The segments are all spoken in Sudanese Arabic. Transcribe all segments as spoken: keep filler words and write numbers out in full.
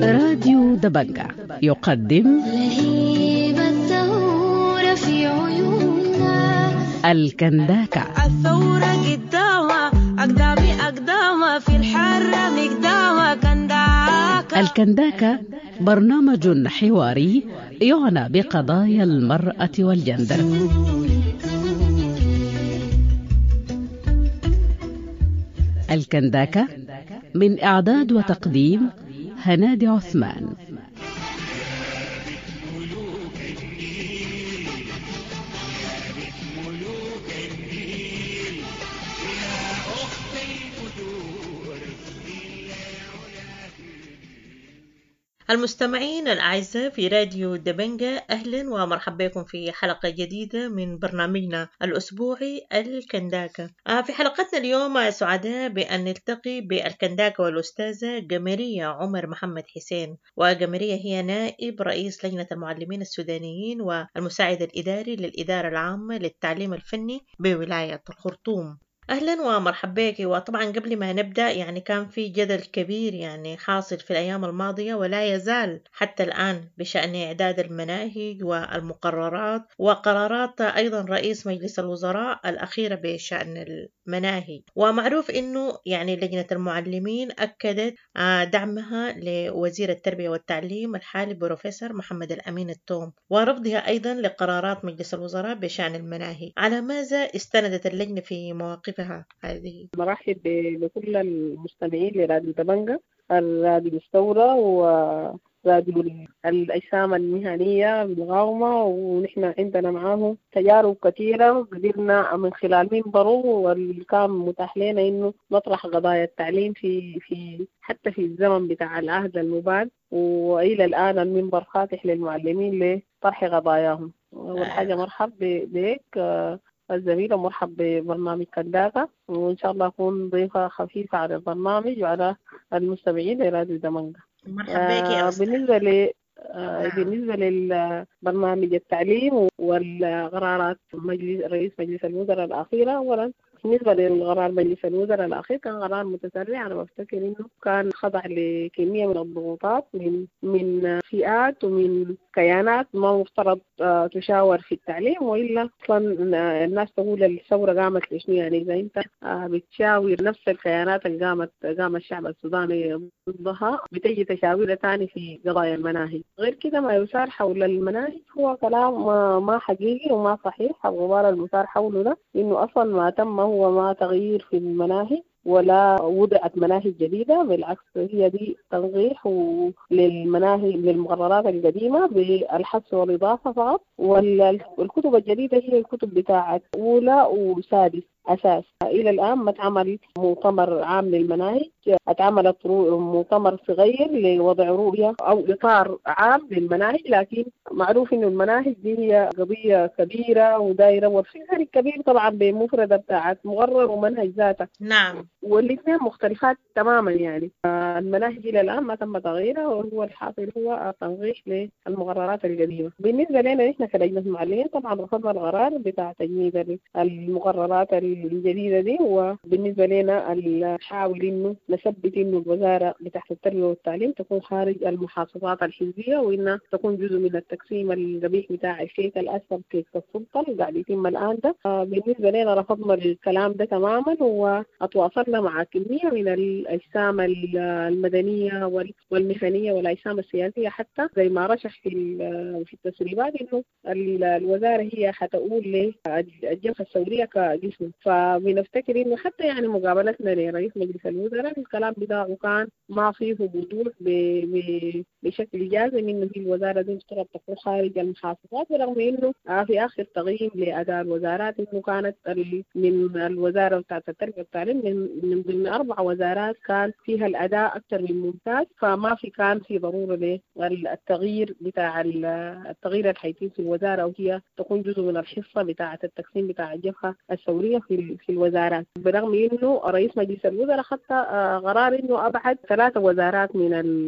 راديو دبنجة يقدم لهيب الثورة في عيوننا. الكنداكة. الثورة قدامها أقدامي أقدامها في الحرة مقدامها كنداكة. الكنداكة برنامج حواري يعنى بقضايا المرأة والجندر. الكنداكة من إعداد وتقديم هنادي عثمان. المستمعين الأعزاء في راديو دبنجة، أهلا ومرحبا بكم في حلقة جديدة من برنامجنا الأسبوعي الكنداكة. في حلقتنا اليوم سعداء بأن نلتقي بالكنداكة والأستاذة جمرية عمر محمد حسين. وجمرية هي نائب رئيس لجنة المعلمين السودانيين والمساعد الإداري للإدارة العامة للتعليم الفني بولاية الخرطوم. أهلا ومرحبا بك. وطبعا قبل ما نبدأ يعني كان في جدل كبير يعني حاصل في الأيام الماضية ولا يزال حتى الآن بشأن إعداد المناهج والمقررات وقرارات أيضا رئيس مجلس الوزراء الأخيرة بشأن المناهج. ومعروف أنه يعني لجنة المعلمين أكدت دعمها لوزير التربية والتعليم الحالي بروفيسور محمد الأمين التوم ورفضها أيضا لقرارات مجلس الوزراء بشأن المناهج. على ماذا استندت اللجنة في مواقفها هذه؟ مرحب بكل المستمعين لراديو دبنجة، الراديو الثورة وراديو الأجسام المهنية بالمقاومة، ونحن عندنا معاهم تجارب كثيرة قدرنا من خلال منبره واللي كان متاح لنا إنه نطرح قضايا التعليم في في حتى في الزمن بتاع العهد المباد، وإلى الآن المنبر فاتح للمعلمين لطرح قضاياهم. أول حاجة مرحب بك الزميلة، مرحب ببرنامج كنداكة، وإن شاء الله أكون ضيفة خفيفة على البرنامج وعلى المستمعين لراديو دمنجة. مرحبا بك يا أستاذ. بالنسبة ل آه بالنسبة للبرنامج التعليم والقرارات مجلس رئيس مجلس الوزراء الأخيرة، أولا بالنسبة للقرار مجلس الوزراء الأخير كان قرار متسرع. أنا بفتكر إنه كان خضع لكمية من الضغوطات من من فئات ومن كيانات ما مفترض تشاور في التعليم، وإلا أصلا الناس تقول الثورة قامت لشنو؟ يعني إذا أنت بتشاور نفس الكيانات اللي قامت قام الشعب السوداني ضدها بتجي تشاورها تاني في قضايا المناهج. غير كده ما يثار حول المناهج هو كلام ما حقيقي وما صحيح. الغبار المثار حوله ده إنه أصلا ما تم هو ما تغيير في المناهج ولا وضعت مناهج جديدة، بالعكس هي دي تنقيح للمناهج للمقررات القديمة بالحذف والإضافة فقط. والكتب الجديدة هي الكتب بتاعت أولى وسادس أساس. إلى الآن ما اتعمل مؤتمر عام للمناهج، اتعملت مؤتمر صغير لوضع رؤية أو إطار عام للمناهج، لكن معروف إنه المناهج دي هي قضية كبيرة ودايرة وفي فرق كبير طبعا بمفردة بتاعت مقرر ومنهج ذاته. نعم، والاثنين مختلفات تماما. يعني المناهج إلى الآن ما تم تغييرها، وهو الحاصل هو تنقيح للمقررات القديمة. بالنسبة لنا نحن كلجنة معلمين طبعا رفضنا القرار بتاع تجميد المقررات الجديدة دي، وبالنسبة لنا نحاول إنه نثبت إنه الوزارة بتاعت التربية والتعليم تكون خارج المحافظات الحزبية، وإنها تكون جزء من التقسيم القبيح بتاع الكيك الأسفل كيك السلطة اللي قاعد يتم الآن ده. بالنسبة لنا رفضنا الكلام ده تماما، وأتواصلنا مع كمية من الأجسام المدنية والمهنية والأجسام السياسية، حتى زي ما رشح في في التسريبات إنه الوزارة هي حتقول للجبهة الثورية كجسم. فبنفتكر إنه حتى يعني مقابلتنا لرئيس مجلس الوزراء الكلام بتاعه كان ما فيه وضوح بشكل جازم إنه هي الوزارة دي مفترض تكون خارج المحافظات، برغم إنه في آخر تقييم لأداء الوزارات إنه كانت من الوزارة بتاعت التربية والتعليم من من ضمن أربع وزارات كان فيها الأداء أكثر من ممتاز، فما في كان في ضرورة للتغيير بتاع التغيير الحيتم في الوزارة، وهي تكون جزء من الحصة بتاعة التقسيم بتاع الجبهة الثورية في في الوزارات. برغم إنه رئيس مجلس الوزراء خدت قرار إنه أبعد ثلاثة وزارات من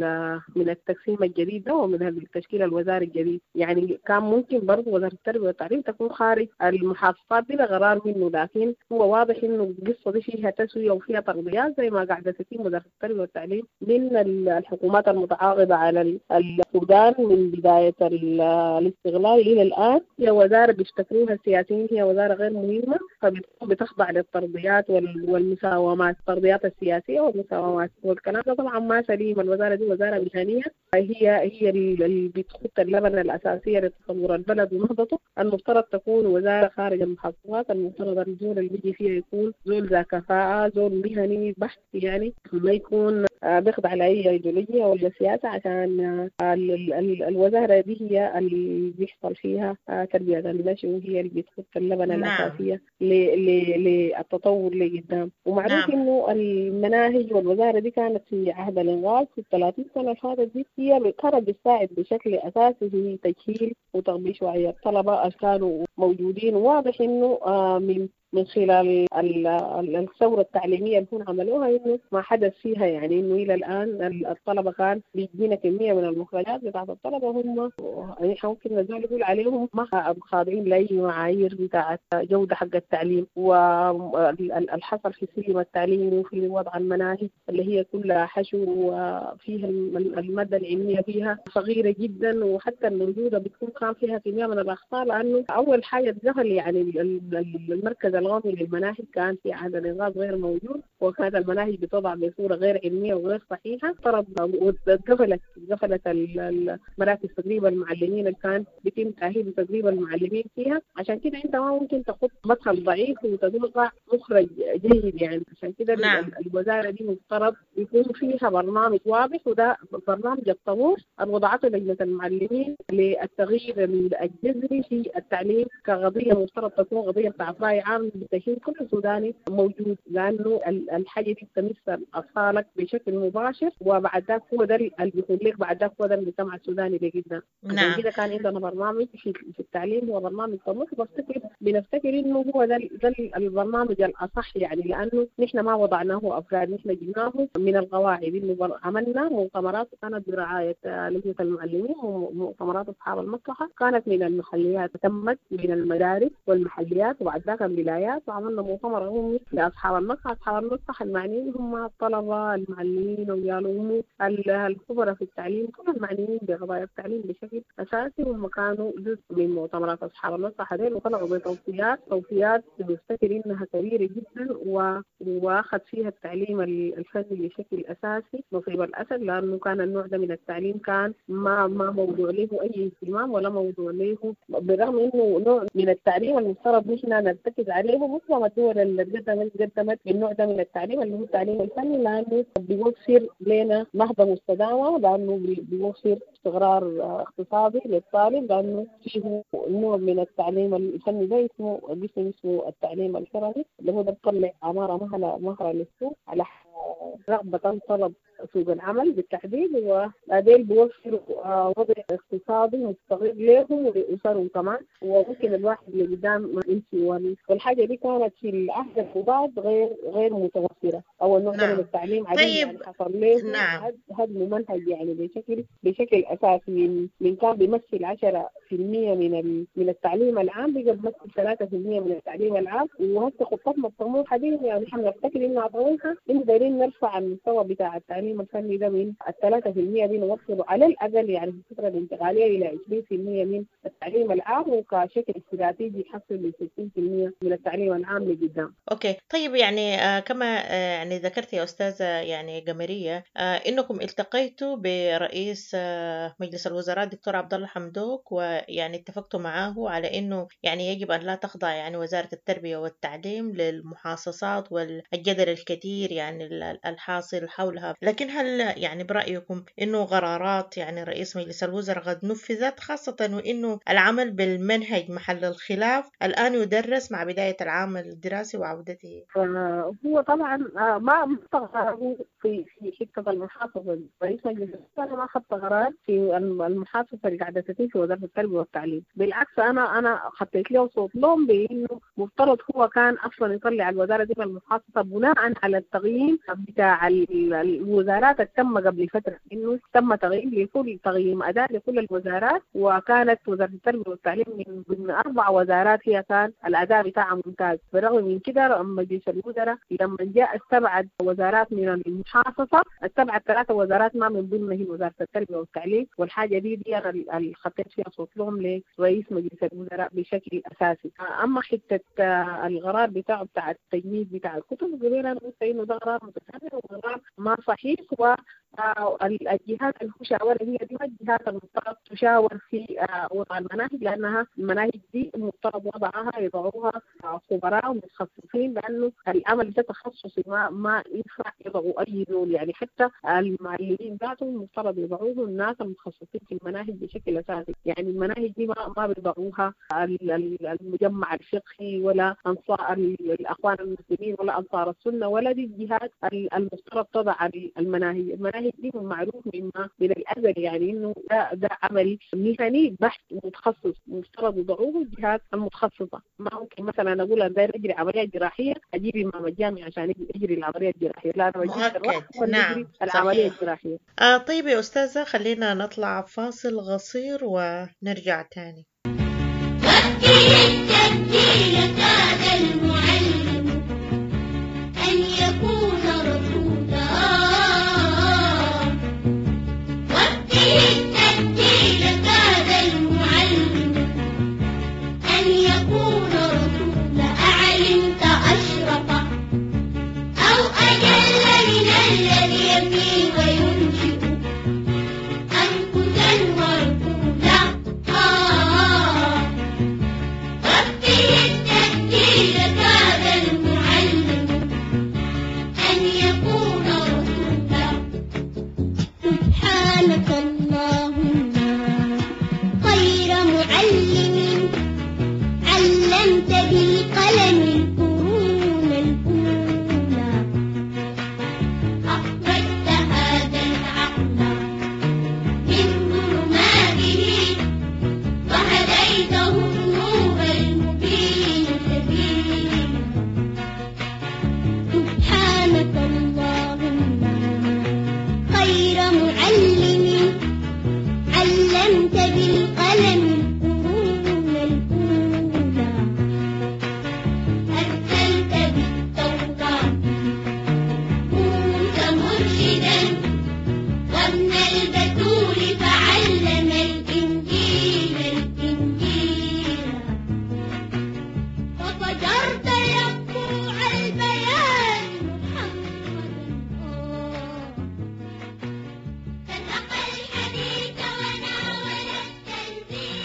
من التقسيم الجديد ده ومن التشكيل الوزاري الجديد، يعني كان ممكن برضه وزارة التربية والتعليم تكون خارج المحافظات بلا قرار منه، لكن هو واضح إنه القصة دي فيها تسوية وفيها ترضيات زي ما قاعدة تتم وزارة التربية والتعليم من الحكومات المتعاقبة على السودان من بداية الاستغلال إلى الآن. هي وزارة بيفتكروها السياسيين هي وزارة غير مهمة، فبتكون بتخضع للترضيات والمساومات، الترضيات السياسية والمساومات، والكلام ده طبعا ما سليم. الوزارة دي وزارة مهنية، هي هي اللي بتخط اللبنة الأساسية لتطور البلد ونهضته. المفترض تكون وزارة خارج المحافظات، المفترض الزول اللي بيجي فيها يكون زول ذا كفاءة، زول مهني بحت، يعني ما يكون بيخضع لأي أيديولوجيا ولا سياسة، عشان الوزارة دي هي اللي بيحصل فيها تربية النشء وهي اللي بتخط اللبنة نعم. الأساسية للتطور لقدام. ومعروف نعم. إنه المناهج والوزارة دي كانت في عهد الإنغاز في الثلاثين سنة اللي فاتت دي هي كانت بتساعد بشكل أساسي في تجهيل وتغبيش وعي الطلبة اللي كانوا موجودين. واضح إنه من من خلال الثورة التعليمية اللي هم عملوها إنه ما حدث فيها، يعني إنه إلى الآن الطلبة كان بيجينا كمية من المخرجات بتاعت الطلبة هم يعني ممكن نزال يقول عليهم ما خاضعين لأي معايير بتاعت جودة حق التعليم، والحصل في سلم التعليم وفي وضع المناهج اللي هي كلها حشو وفيها المادة العلمية فيها صغيرة جدا، وحتى الموجودة بتكون كان فيها كمية من الأخطاء، لأنه أول حاجة اتدخل يعني المركز القومي للمناهج كان في عهد الإنغاز غير موجود، وكانت المناهج بتوضع بصورة غير علمية وغير صحيحة. طرد وقفلت قفلت المراكز تدريب المعلمين اللي كان بيتم تأهيل وتدريب المعلمين فيها. عشان كده أنت ما ممكن تحط مدخل ضعيف وتتوقع مخرج جيد، يعني عشان كده نعم. الوزارة دي مفترض يكون فيها برنامج واضح، وده برنامج الطموح اللي وضعته لجنة المعلمين للتغيير الجذري في التعليم كقضية مفترض تكون قضية بتاعت رأي عام بتشمل كل سوداني موجود، لأنه الحاجة دي بتمس أطفالك بشكل مباشر، وبعد ذاك هو ده اللي بيكون لك، بعد ذاك هو ده المجتمع السوداني لقدام. نعم. كده كان عندنا برنامج في, في التعليم هو برنامج طموح، بفتكر بنفتكر إنه هو ده ده البرنامج الأصح، يعني لأنه نحن ما وضعناه أفراد، نحن جبناه من القواعد. إنه عملنا مؤتمرات كانت برعاية لجنة المعلمين ومؤتمرات أصحاب المصلحة، كانت من المحليات، تمت من المدارس والمحليات وبعد ذاك الولايات، وعملنا مؤتمر عمومي لأصحاب المصلحة. أصحاب المصلحة المعنيين هم الطلبة، المعلمين، ويالهم الخبراء في التعليم، كل المعنيين بقضايا التعليم بشكل أساسي، هم كانوا جزء من مؤتمرات أصحاب المصلحة ديل، وطلعوا بتوصيات توصيات بنفتكر إنها كبيرة جدا، و... وأخذ فيها التعليم الفني بشكل أساسي نصيب الأسد، لأنه كان النوع ده من التعليم كان ما ما موضوع له أي اهتمام ولا موضوع له، بالرغم إنه نوع من التعليم المفترض نحن نرتكز عليه معظم الدول اللي قدمت قدمت بالنوع ده من التعليم اللي هو التعليم الفني، لأنه بيوفر لنا نهضة مستدامة، لأنه بيوفر استقرار اقتصادي للطالب، لأنه فيه نوع من التعليم الفني ده اسمه قسم اسمه التعليم الحرفي اللي هو ده بيطلع عمارة مهلة مهرة للسوق على رغبة طلب سوق العمل بالتحديد، وبعدين بيوفروا وضع اقتصادي مستقر لهم ولأسرهم كمان، وممكن الواحد اللي قدام ما يمشي. والحاجة دي كانت في العهد المضاد غير غير متوفرة، أو النوع ده من التعليم عديد طيب. يعني حصل له نعم. هدم منهج يعني بشكل بشكل أساسي، من من كان بيمثل عشرة في المية من من التعليم العام بقى بيمثل ثلاثة في المية من التعليم العام. وهسه خطتنا الطموحة دي يعني نحن نفتكر إنها طموحة، إنه دايرين نرفع المستوى بتاع التعليم الفني ده من الثلاثة في المية دي نوصله على الأقل يعني في الفترة الانتقالية إلى عشرين في المية من التعليم العام، وكشكل استراتيجي يحصل ل ستين في المية من التعليم العام لقدام. okay طيب، يعني آه كما آه يعني ذكرت يا أستاذة يعني قمرية آه إنكم التقيتوا برئيس آه مجلس الوزراء الدكتور عبد الله حمدوك، ويعني اتفقتوا معاه على إنه يعني يجب أن لا تخضع يعني وزارة التربية والتعليم للمحاصصات والجدل الكثير يعني الحاصل حولها، لكن هل يعني برأيكم إنه قرارات يعني رئيس مجلس الوزراء قد نفذت، خاصة وإنه العمل بالمنهج محل الخلاف الآن يدرس مع بداية العام الدراسي وعودته؟ هو طبعا ما قراره في في حتة المحافظة، رئيس مجلس الوزراء ما خدت قرار في المحافظة اللي قاعدة تتم في وزارة التربية والتعليم. بالعكس أنا أنا خطيت له صوت لهم بإنه مفترض هو كان أصلا يطلع الوزارة دي من المحافظة بناء على التقييم بتاع الوزارات اللي تم قبل فترة، إنه تم تقييم لكل تقييم أداء لكل الوزارات، وكانت وزارة التربية والتعليم من ضمن أربع وزارات هي كان الأداء بتاعها ممتاز. بالرغم من كده مجلس الوزراء لما جاء استبعد وزارات من المحافظة، استبعد ثلاثة وزارات ما من ضمنها وزارة التربية والتعليم، والحاجة دي دي أنا اللي خطيت فيها صوت لهم لرئيس مجلس الوزراء بشكل أساسي. أما حتة القرار بتاعه بتاع التجميد بتاع الكتب قبل أنا قلت إنه ده قرار متسرع وقرار ما صحيح، والجهات اللي شاورها هي دي الجهات المفترض تشاور في وضع المناهج، لأنها المناهج دي المفترض وضعها يضعوها خبراء ومتخصصين، لأنه العمل ده تخصصي ما ما ينفع يضعوا أي دول، يعني حتى المعلمين ذاتهم المفترض يضعوه الناس المتخصصين في المناهج بشكل أساسي. يعني المناهج دي ما ما بيضعوها المجمع الفقهي ولا أنصار الأخوان المسلمين ولا أنصار السنة ولا دي الجهات المفترض تضع المناهج. المناهج دي معروف مما من الأزل يعني إنه ده, ده عمل مهني بحت متخصص مفترض يضعوه الجهات المتخصصة. ما ممكن مثلا أقول أنا داير أجري عملية جراحية أجيب إمام الجامع عشان أجري العملية الجراحية، لا أنا بجيب مؤكد. نعم العملية الجراحية. آه طيب يا أستاذة، خلينا نطلع فاصل قصير ونرجع تاني. وفيه التبديل كاد المعلم أن يكون رسولا، وفيه التبديل كاد المعلم أن يكون رسولا. أعلمت أشرف أو أجل من الذي يبني وينشئ أنفسا ورسولا. آه وفيه التبديل كاد المعلم أن يكون رسولا. سبحانك اللهم خير معلم علمت بالقلم القرون الأولى، أخرجت هذا العقل من ظلماته وهديته النور المبين سبيلا. سبحانك اللهم خير معلم علمت بالقلم القرون الأولى، أرسلت بالتوراة موسى مرشدا وابن البتول فعلم الإنجيل الإنجيل، وفجرت ينبوع البيان محمدا. سبق الحديث وناول التنزيل.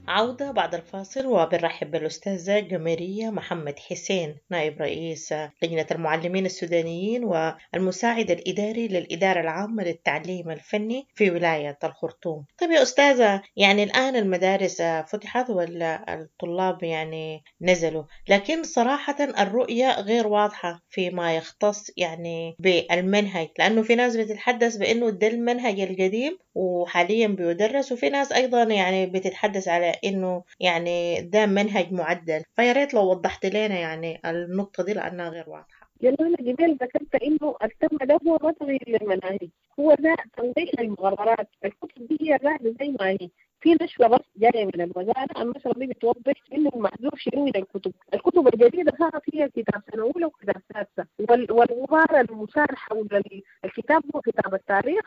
عودة بعد الفاصل، وبنرحب بالأستاذة جميرية محمد حسين نائب رئيس لجنة المعلمين السودانيين والمساعد الإداري للإدارة العامة للتعليم الفني في ولاية الخرطوم. طيب يا أستاذة، يعني الآن المدارس فتحت والطلاب يعني نزلوا، لكن صراحة الرؤية غير واضحة فيما يختص يعني بالمنهج، لأنه في ناس بتتحدث بأنه ده المنهج القديم وحاليا بيدرس، وفي ناس أيضا يعني بتتحدث على إنه يعني ده منهج معدل. فيا ريت لو وضحت لنا يعني النقطة دي لأنها غير واضحة. لأنه أنا قبل ذكرت إنه التم ده هو ما تغيير للمناهج، هو ده تنظيم المقررات. الكتب دي هي قاعدة زي ما هي، في نشرة بس جاية من الوزارة، النشرة دي بتوضح إنه المحذوف شنو من الكتب. الكتب الجديدة صارت هي كتاب سنة أولى وكتاب سادسة، والغبار المثار حول الكتاب هو كتاب التاريخ،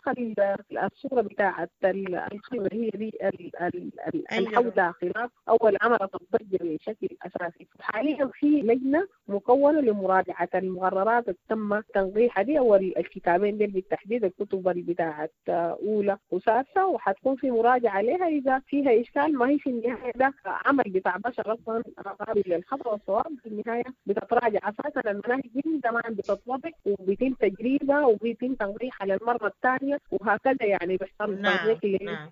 الصورة بتاعة الخيمة هي دي اللي حولها خلاف أول عملت الضجة بشكل أساسي. حاليا في لجنة مكونة لمراجعة المقررات اللي تم تنقيحها دي أو الكتابين دي بالتحديد، الكتب بتاعة أولى وسادسة، وحتكون في مراجعة عليها. اذا فيها اشكال ما هي في النهاية ده عمل بتاع بشر اصلا قابل للخطا والصواب، في النهاية بتتراجع. اساسا المناهج من زمان بتتوضع وبيتم تجريبها وبيتم تنقيحها للمرة الثانية وهكذا، يعني بيحصل نعم تنقيح نعم.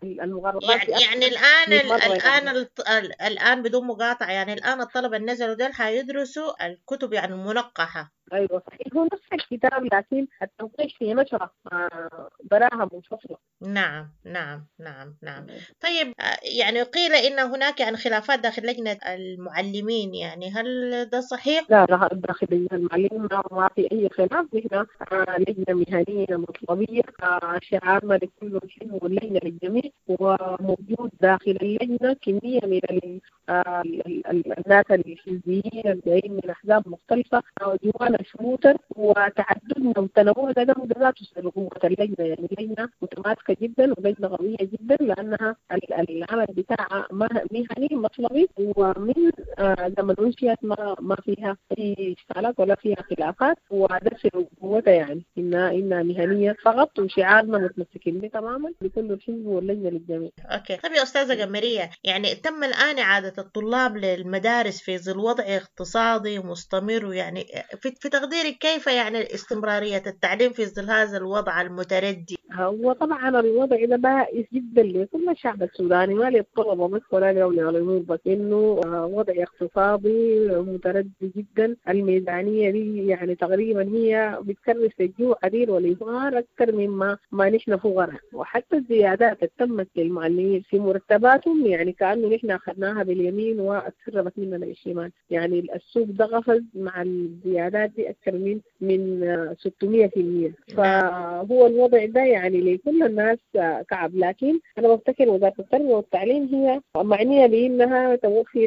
المقررات. يعني يعني الان مية مرة الان يعني. الط- ال- الان بدون مقاطعه، يعني الان الطلبة اللي نزلوا دول حيدرسوا الكتب يعني المنقحه. ايوه صحيح، هو نفس الكتاب لكن التنقيح في نشره آه، براها منفصلة. نعم نعم نعم نعم. طيب آه، يعني قيل ان هناك يعني خلافات داخل لجنة المعلمين، يعني هل ده صحيح؟ لا لا، داخل لجنة المعلمين ما ما في أي خلاف. نحن آه، لجنة مهنية مطلبية، آه، شعارنا لكل حلم واللجنة للجميع، وموجود داخل اللجنة كمية من ال- آه، ال- ال- الناس الحزبيين الجايين من أحزاب مختلفة، آه، جوانا شموتر، وتعددنا وتنوعنا ده ده ذاته سر قوة اللجنة. يعني اللجنة متماسكة جدا ولجنة قوية جدا، لأنها ال- العمل بتاعها مه- مهني مطلبي، ومن آه، زمن انشئت ما ما فيها اي اشكالات ولا فيها خلافات، وده سر قوتها، يعني انها انها مهنية فقط، وشعارنا متمسكين به تماما لكل الحزب واللجنة للجميع. okay. طيب يا استاذه قمريه، يعني تم الان اعاده الطلاب للمدارس في ظل وضع اقتصادي مستمر، ويعني في في تقديرك كيف يعني استمرارية التعليم في ظل هذا الوضع المتردي؟ هو طبعا الوضع ده بائس جدا لكل الشعب السوداني، ما للطلبة بس ولا لاولياء الامور بس، انه آه، وضع اقتصادي متردي جدا. الميزانية دي يعني تقريبا هي بتكرس الجوع عديل والافقار اكثر مما ما نحن فقراء، وحتى الزيادات اللي تمت للمعلمين في مرتباتهم يعني كانه نحن اخذناها باليمين واتسربت مننا بالشمال. يعني السوق ده قفز مع الزيادات دي اكثر من من آه، ستمية في المية. فهو الوضع ده يعني لكل الناس آه، كعب. لكن انا بفتكر وزارة التربية والتعليم هي معنية بانها توفر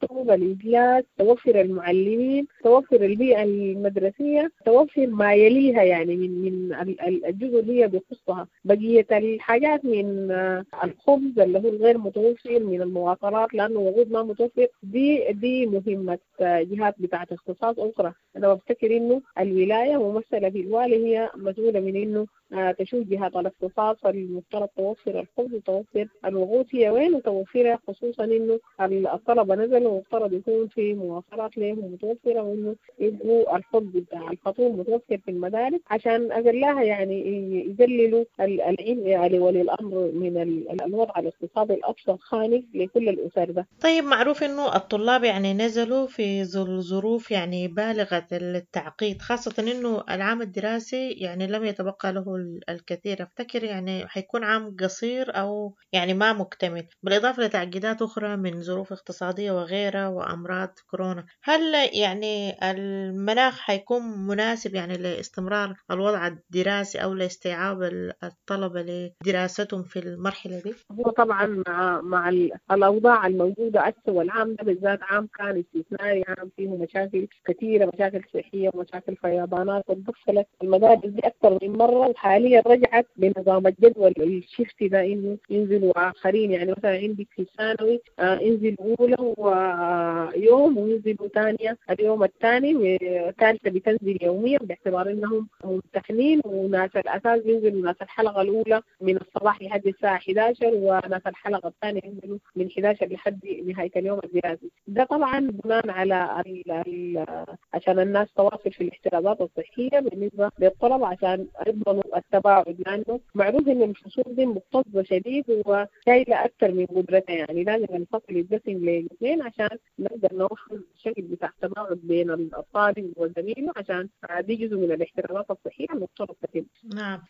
الكتب، الاجلاس، توفر المعلمين، توفر البيئة المدرسية، توفر ما يليها يعني من من ال- ال- الجزء اللي هي بيخصها. بقية الحاجات من آه، الخبز اللي هو الغير متوفر، من المواصلات لانه وقود ما متوفر، دي دي مهمة آه، جهات بتاعه اختصاص اخرى. انا بفتكر انه الولاية ممثلة في الوالي هي مسؤولة من انه آه، تشوف جهات الاختصاص المفترض توفر الخبز وتوفر الوقود هي وين وتوفرها، خصوصا انه الطلبة نزلوا ومفترض يكون في مواصلات لهم متوفرة، وانه يبقوا الخبز بتاع الفطور متوفر في المدارس عشان اقلها يعني يقللوا ال- العبء يعني ولي الامر من ال- الوضع الاقتصادي الاكثر خانق لكل الاسر ده. طيب معروف انه الطلاب يعني نزلوا في ظل ظروف يعني بالغة التعقيد، خاصة انه العام الدراسي يعني لم يتبقى له ال- الكثير، افتكر يعني حيكون عام قصير او يعني ما مكتمل، بالاضافة لتعقيدات اخرى من ظروف اقتصادية وغيرها وامراض كورونا. هل يعني المناخ حيكون مناسب يعني لاستمرار الوضع الدراسي او لاستيعاب ال- الطلبة لدراستهم في المرحلة دي؟ هو طبعا مع مع ال- الاوضاع الموجودة هسه، والعام ده بالذات عام كان استثنائي، عام فيه مشاكل كثيرة، مشاكل صحية ومشاكل فيضانات، وتدخلت المدارس دي اكثر من مرة، وحاليا رجعت بنظام الجدول الشفتي ده انه ينزلوا اخرين. يعني مثلا عندك في الثانوي آه، ينزل اولى ويوم وينزلوا ثانية اليوم الثاني، وثالثه بتنزل يوميا باعتبار انهم ممتحنين، وناس الاساس بينزلوا ناس الحلقة الاولى من الصباح لحد الساعة إحدى عشر، وناس الحلقة الثانية ينزلوا من إحدى عشر لحد نهاية اليوم الدراسي. ده طبعا بناء على ال ال عشان الناس تواصل في الاحترازات الصحية بالنسبة للطلبة عشان يضمنوا التباعد، لأنه معروف إن الفصول دي مكتظة شديد وشايلة أكثر من قدرتها، يعني لازم الفصل يتقسم لاثنين عشان نقدر نوفر الشكل بتاع التباعد بين الطالب وزميله، عشان دي جزء من الاحترازات الصحية المفترض تتم. نعم.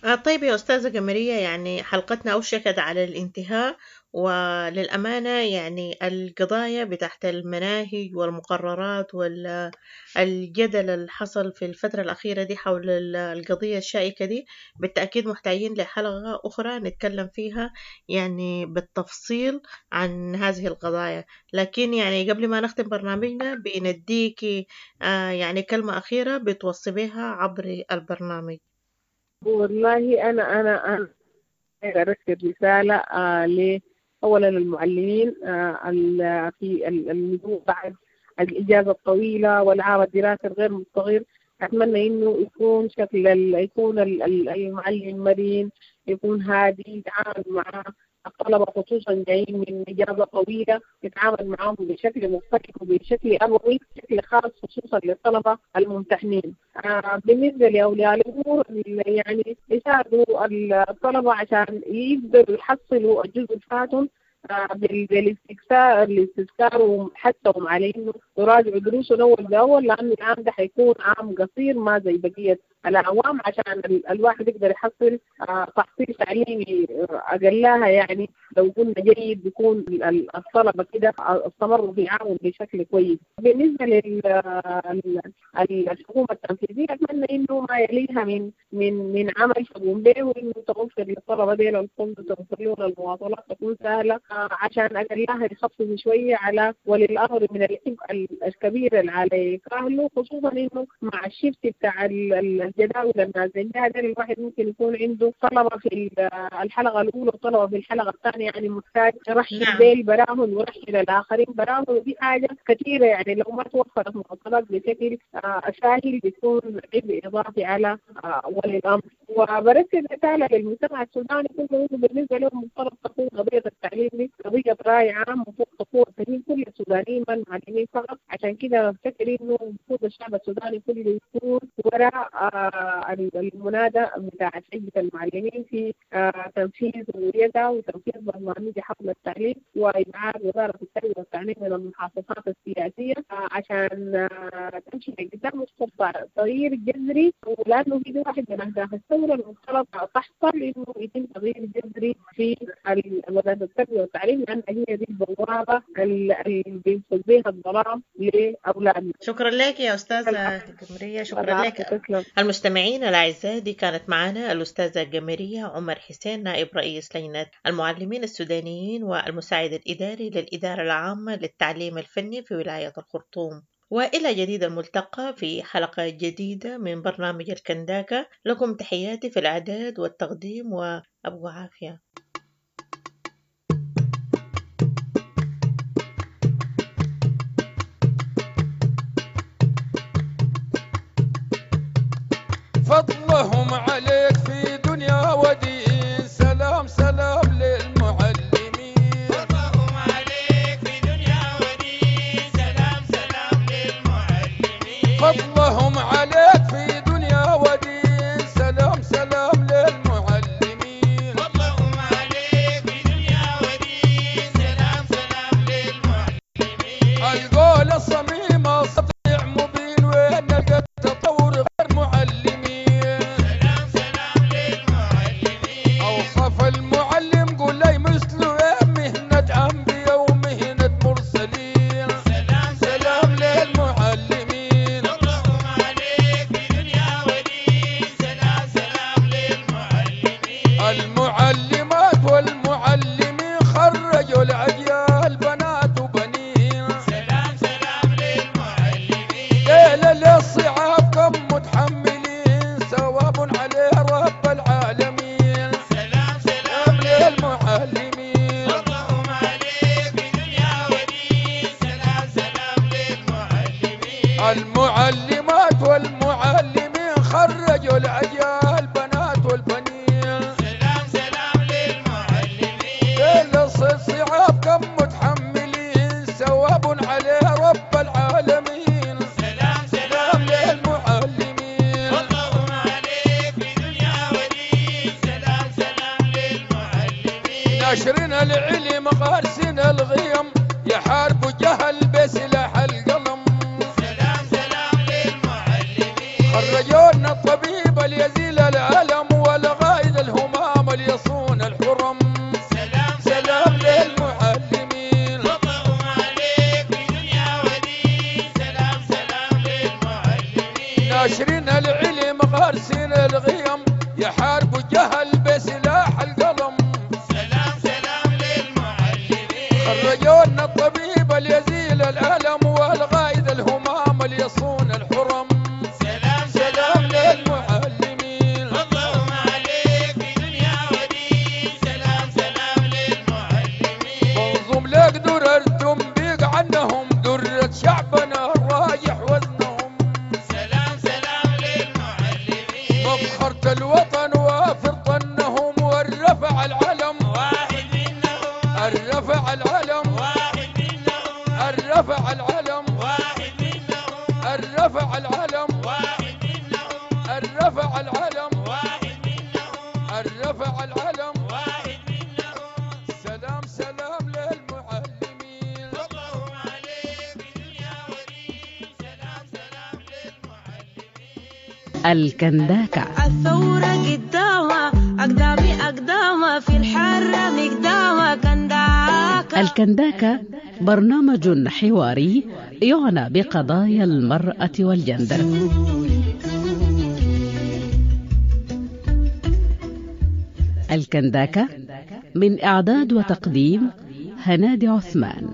آه طيب يا أستاذة قمرية، يعني حلقتنا أوشكت على الانتهاء، وللأمانة يعني القضايا بتاعت المناهج والمقررات والجدل اللي حصل في الفترة الأخيرة دي حول ال- القضية الشائكة دي بالتأكيد محتاجين لحلقة أخرى نتكلم فيها يعني بالتفصيل عن هذه القضايا. لكن يعني قبل ما نختم برنامجنا بنديكي آه يعني كلمة أخيرة بتوصي بها عبر البرنامج. والله أنا أنا أنا أرسل رسالة آه ل أولا المعلمين آه ال- في ال- النزول بعد الإجازة الطويلة والعام الدراسي الغير مستقر، أتمنى إنه يكون شكل يكون المعلم مرن، يكون هادي، يتعامل مع الطلبة خصوصا جايين من إجازة طويلة، يتعامل معهم بشكل مختلف وبشكل أبوي، بشكل خاص خصوصا للطلبة الممتحنين. آه بالنسبة لأولياء الأمور يعني يساعدوا الطلبة عشان يقدروا يحصلوا الجزء الفاتهم بالاستكثار الاستذكار وحثهم على انه يراجعوا دروسهم اول باول، لانه العام ده حيكون عام قصير ما زي بقيه الاعوام، عشان الواحد يقدر يحصل تحصيل تعليمي اقلها يعني لو قلنا جيد بيكون الطلبه كده استمروا في عامهم بشكل كويس. بالنسبه للحكومه التنفيذيه اتمنى انه ما يليها من من من عمل تقوم به، وانه توفر للطلبه ديل الفندق، توفر لهم المواصلات تكون سهله عشان اقلها يخفف شويه على ولي الامر من العبء الكبير اللي على كاهله، خصوصا انه مع الشيفت بتاع الجداول النازلين ده الواحد ممكن يكون عنده طلبه في الحلقه الاولى وطلبه في الحلقه الثانيه، يعني محتاج يرحل ديل براهم ويرحل الاخرين براهم، ودي حاجه كثيره يعني لو ما توفرت مواصلات بشكل سهل بيكون عبء اضافي على ولي الامر. وبرسل رساله للمجتمع السوداني كله انه بالنسبه لهم مفترض تكون قضيه التعليم دي قضيه راي عام، المفروض تكون تهم كل السودانيين ما المعلمين فقط. عشان كده بفتكر انه المفروض الشعب السوداني كله يكون وراء المنادى بتاع حزب المعلمين في تنفيذ رؤيتها وتنفيذ برنامج حفل التعليم وإبعاد وزارة التربية والتعليم من المحافظات السياسية عشان تمشي لقدام وتستطيع تغيير جذري، ولأنه في واحد من أهداف الثورة المفترض تحصل إنه يتم تغيير جذري في وزارة التربية والتعليم، لأن هي دي البوابة اللي بينفذ بها الظلام لأولادنا. شكرا لك يا أستاذة جمرية، شكرا لك. المستمعين الأعزاء، دي كانت معنا الأستاذة جمرية عمر حسين، نائب رئيس لجنة المعلمين السودانيين والمساعد الإداري للإدارة العامة للتعليم الفني في ولاية الخرطوم. وإلى جديد الملتقى في حلقة جديدة من برنامج الكنداكة. لكم تحياتي في الإعداد والتقديم، وأبو عافية. فضلهم عليك في دنيا ودين، سلام سلام للمعلمين. فضلهم عليك في دنيا ودين، سلام سلام للمعلمين. فضلهم عليك في دنيا ودين، سلام سلام للمعلمين. فضلهم عليك في دنيا ودين، سلام سلام للمعلمين. القول الصميم سطيع مبين، وين نلقى التطور غير معلمين. أوصف المعلم قول لي مثله مهنة أنبياء ومهنة مرسلين. سلام سلام للمعلمين. فضلهم عليك في دنيا ودين، سلام سلام للمعلمين. المعلمات والمعلمين خرجوا الأجيال بنات وبنين. سلام سلام للمعلمين. ليلة للصعاب كم متحملين، ثواب عليه رب العالمين. سلام سلام للمعلمين. فضلهم عليك في دنيا ودين، سلام سلام للمعلمين. المعلمات والمعلمين خرجوا الأجيال بنات والبنين. سلام سلام للمعلمين. ليلة الصعاب كم متحملين، ثواب عليه رب العالمين. سلام سلام للمعلمين. فضلهم عليك في دنيا ودين، سلام سلام للمعلمين. ناشرين العلم غارسين الغيم، يحاربوا جهل بسلاح القلم. سلام سلام للمعلمين. خرجونا الطبيب ليزيل الألم، والغايد الهمام ليصون الحرم. سلام سلام للمعلمين. فضلهم عليك في دنيا ودين، سلام سلام للمعلمين. ناشرين العلم غارسين الغيم، يحاربوا جهل بسلاح القلم. سلام سلام للمعلمين. خرجونا الطبيب ليزيل الألم، والغايد الهمام ليصون الحرم. سلام سلام للمعلمين. فضلهم عليك في دنيا ودين، سلام سلام للمعلمين. منظوم لك درر تنبيق عنهم، درة شعبنا رايح وزنهم. سلام سلام الرفع العلم واحد منهم الرفع العلم واحد منهم الرفع العلم واحد منهم الرفع العلم واحد منهم سلام سلام للمعلمين فضلهم عليك دنيا ودين سلام سلام للمعلمين الكنداكة الثورة قدامة أقدامي أقدامة في الحرة مقدامة كنداكة الكنداكة برنامج حواري يعنى بقضايا المرأة والجندر. الكنداكة من إعداد وتقديم هنادي عثمان.